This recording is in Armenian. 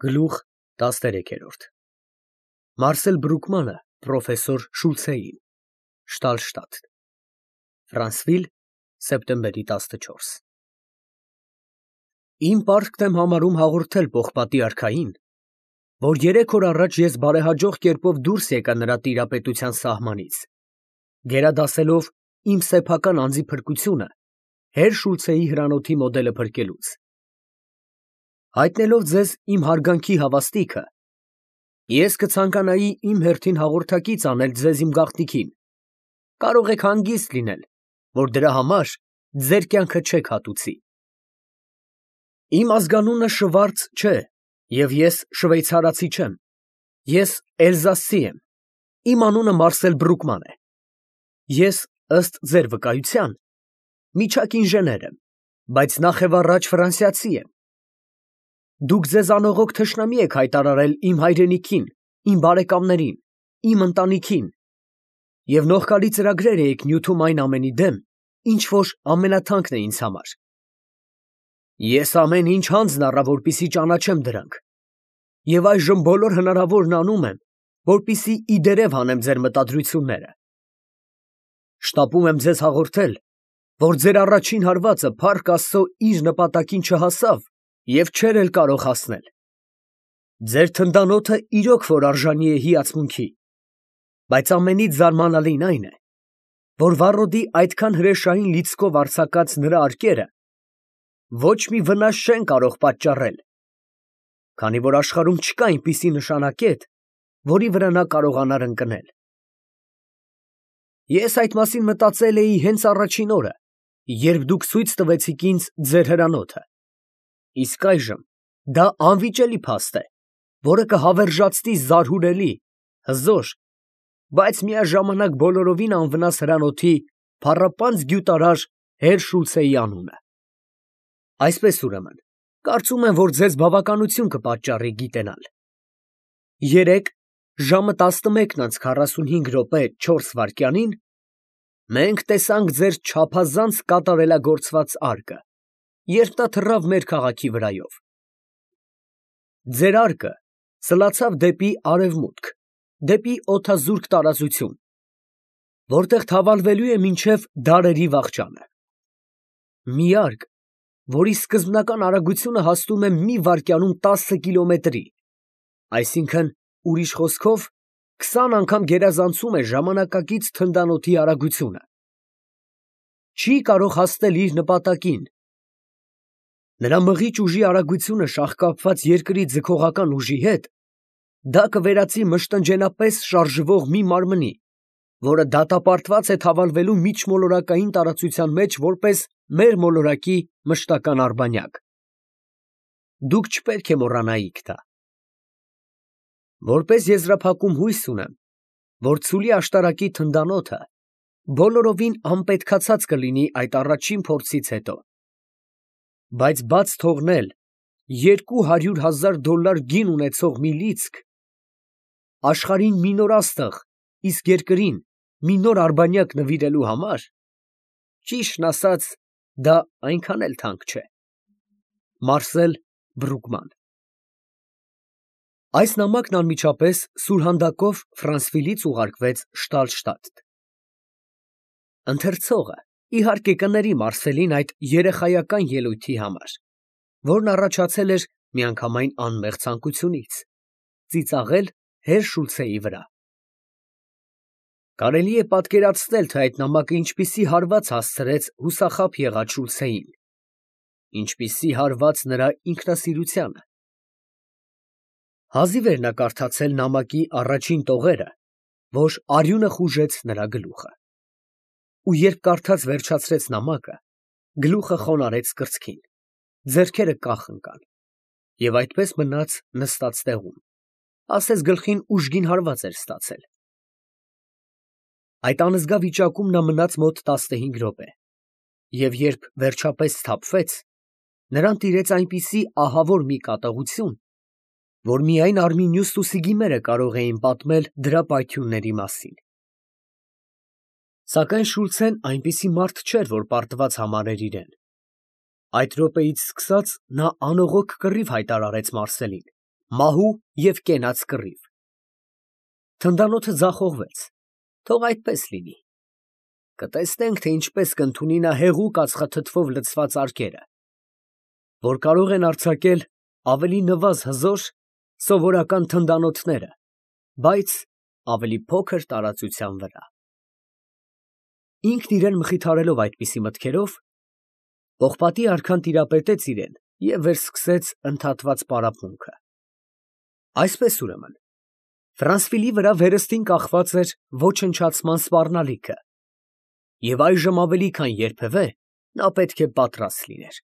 Գլուխ 13 Մարսել Բրուկմանը պրոֆեսոր Շուլցեին Շտալշտադտ Ֆրանսվիլ սեպտեմբերի 14 Իմ պարտքն եմ համարում հաղորդել պողպատի արքային, որ 3 օր առաջ ես բարեհաջող կերպով դուրս եկա նրա տիրապետության սահմանից, գերադասելով իմ սեփական անձի փրկությունը հեր Շուլցեի հրանոթի մոդելը փրկելուց։ Հայտնելով ձեզ իմ հարգանքի հավաստիքը, ես կցանկանայի իմ հերթին հաղորդակից անել ձեզ իմ գաղտնիքին, կարող եք հանգիստ լինել, որ դրա համար ձեր կյանքը չեք հատուցի։ Իմ ազգանունը Շվարց չէ, և ես շվեյցարացի չեմ, ես էլզասցի եմ, իմ անունը Մարսել Բրուկման է, ես ըստ ձեր վկայության միջակ ինժեներ եմ, բայց նախևառաջ ֆրանսիացի եմ։ Դուք ձեզ անողոք թշնամի եք հայտարարել իմ հայրենիքին, իմ բարեկամներին, իմ ընտանիքին, և նողկալի ծրագրեր էիք նյութում այն ամենի դեմ, ինչ որ ամենաթանկն է ինձ համար։ Ես ամեն ինչ հանձն առա, որպեսզի ճանաչեմ դրանք, և այժմ բոլոր հնարավորն անում եմ, որպեսզի ի դերև հանեմ ձեր մտադրությունները։ Շտապում եմ ձեզ հաղորդել, որ ձեր առաջին հարվածը փառք Աստծո իր նպատակին չհասավ և չէր էլ կարող հասնել։ Ձեր թնդանոթը իրոք որ արժանի է հիացմունքի, բայց ամենից զարմանալին այն է, որ վառոդի այդքան հրեշային լիցքով արձակած նրա արկերը ոչ մի վնաս չեն կարող պատճառել, քանի որ աշխարհում չկա այնպիսի նշանակետ, որի վրա նա կարողանար ընկնել։ Ես այդ մասին մտածել էի հենց առաջին օրը, երբ դուք ցույց տվեցիք ինձ ձեր հրանոթը, իսկ այժմ դա անվիճելի փաստ է, որը կհավերժացնի զարհուրելի, հզոր, բայց միաժամանակ բոլորովին անվնաս հրանոթի փառապանծ գյուտարար հեր Շուլցեի անունը։ Այսպես ուրեմն, կարծում եմ, որ ձեզ բավականություն կպատճառի գիտենալ։ Երեկ ժամը 11:45 մենք տեսանք ձեր չափազանց կատարելագործված արկը, երբ նա թռավ մեր քաղաքի վրայով։ Ձեր արկը սլացավ դեպի արևմուտք, դեպի օդազուրկ տարածություն, որտեղ թավալվելու է մինչև դարերի վախճանը։ Մի արկ, որի սկզբնական արագությունը հասնում է մի վայրկյանում 10 կիլոմետրի, այսինքն, ուրիշ խոսքով, 20 անգամ գերազանցում է ժամանակակից թնդանոթի արագությունը։ Չի կարող հասնել իր նպատակին։ Նրա մղիչ ուժի արագությունը շաղկապված երկրի ձգողական ուժի հետ, դա կվերածի մշտնջենապես շարժվող մի մարմնի, որը դատապարտված է թավալվելու միջմոլորակային տարածության մեջ որպես մեր մոլորակի մշտական արբանյակ։ Դուք չպետք է մոռանայիք դա։ Որպես եզրափակում հույս ունեմ, որ ցուլի աշտարակի թնդանոթը բոլորովին անպետքացած կլինի այդ առաջին փորձից հետո, բայց բաց թողնել $200,000 գին ունեցող մի լիցք, աշխարհին մի նոր աստղ, իսկ երկրին մի նոր արբանյակ նվիրելու համար, ճիշտն ասած, դա այնքան էլ թանկ չէ։ Մարսել Բրուկման Այս նամակն անմիջապես սուրհանդակով Ֆրանսվիլից ուղարկվեց Շտալշտադտ։ Ընթերցողը, իհարկե, կների Մարսելին այդ երեխայական ելույթի համար, որն առաջացել էր միանգամայն անմեղ ցանկությունից՝ ծիծաղել հեր Շուլցեի վրա։ Կարելի է պատկերացնել, թե այդ նամակը ինչպիսի հարված հասցրեց հուսախաբ եղած Շուլցեին, ինչպիսի հարված նրա ինքնասիրությանը։ Հազիվ էր նա կարդացել նամակի առաջին տողերը, որ արյունը խուժեց նրա գլուխը, ու երբ կարդաց վերջացրեց նամակը, գլուխը խոնարհեց կրծքին, ձեռքերը կախ ընկան, և այդպես մնաց նստած տեղում, ասես գլխին ուժգին հարված էր ստացել։ Այդ անզգա վիճակում նա մնաց մոտ 15 րոպե, և երբ վերջապես սթափվեց, նրան տիրեց այնպիսի ահավոր մի կատաղություն, որ միայն Արմինյուս ու Սիգիմերը կարող էին պատմել դրա պայթյունների մասին։ Սակայն Շուլցեն այնպիսի մարդ չէր, որ պարտված համարեր իրեն։ Այդ րոպեից սկսած նա անողոք կռիվ հայտարարեց Մարսելին, մահու և կենաց կռիվ։ Թնդանոթը ձախողվեց, թող այդպես լինի։ Կտեսնենք, թե ինչպես կընդունի նա հեղուկ ածխաթթվով լցված արկերը, որ կարող են արձակել ավելի նվազ հզոր սովորական թնդանոթները, բայց ավելի փոքր տարածության վրա։ Ինքն իրան մխիթարելով այդպիսի մտքերով, պողպատի արքան տիրապետեց իրան և վերսկսեց ընդհատված պարապմունքը։ Այսպես ուրեմն, Ֆրանսվիլի վրա վերստին կախված էր ոչնչացման սպառնալիքը, և այժմ ավելի քան երբևէ նա պետք է պատրաստ լիներ։